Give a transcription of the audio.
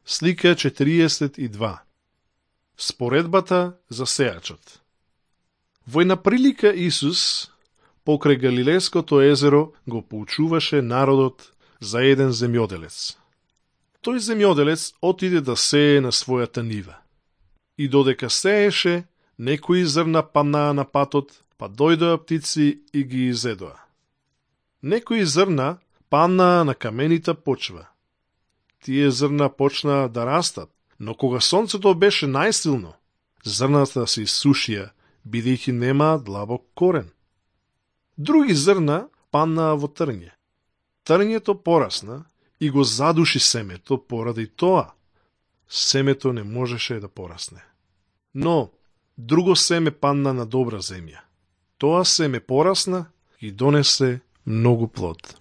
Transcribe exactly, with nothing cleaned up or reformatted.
Слика четириесет и два. Споредбата за сејачот. Во една прилика Исус покрај Галилејското езеро го поучуваше народот за еден земјоделец. Тој земјоделец отиде да сее на својата нива. И додека сееше, некои зрна паднаа на патот, па дојдоа птици и ги изедоа. Некои зрна паднаа на каменита почва. Тие зрна почнаа да растат, но кога сонцето беше најсилно, зрната се исушија, бидејќи немаа длабок корен. Други зрна паднаа во трње. Трњето порасна и го задуши семето, поради тоа семето не можеше да порасне. Но друго семе падна на добра земја. Тоа семе порасна и донесе многу плод.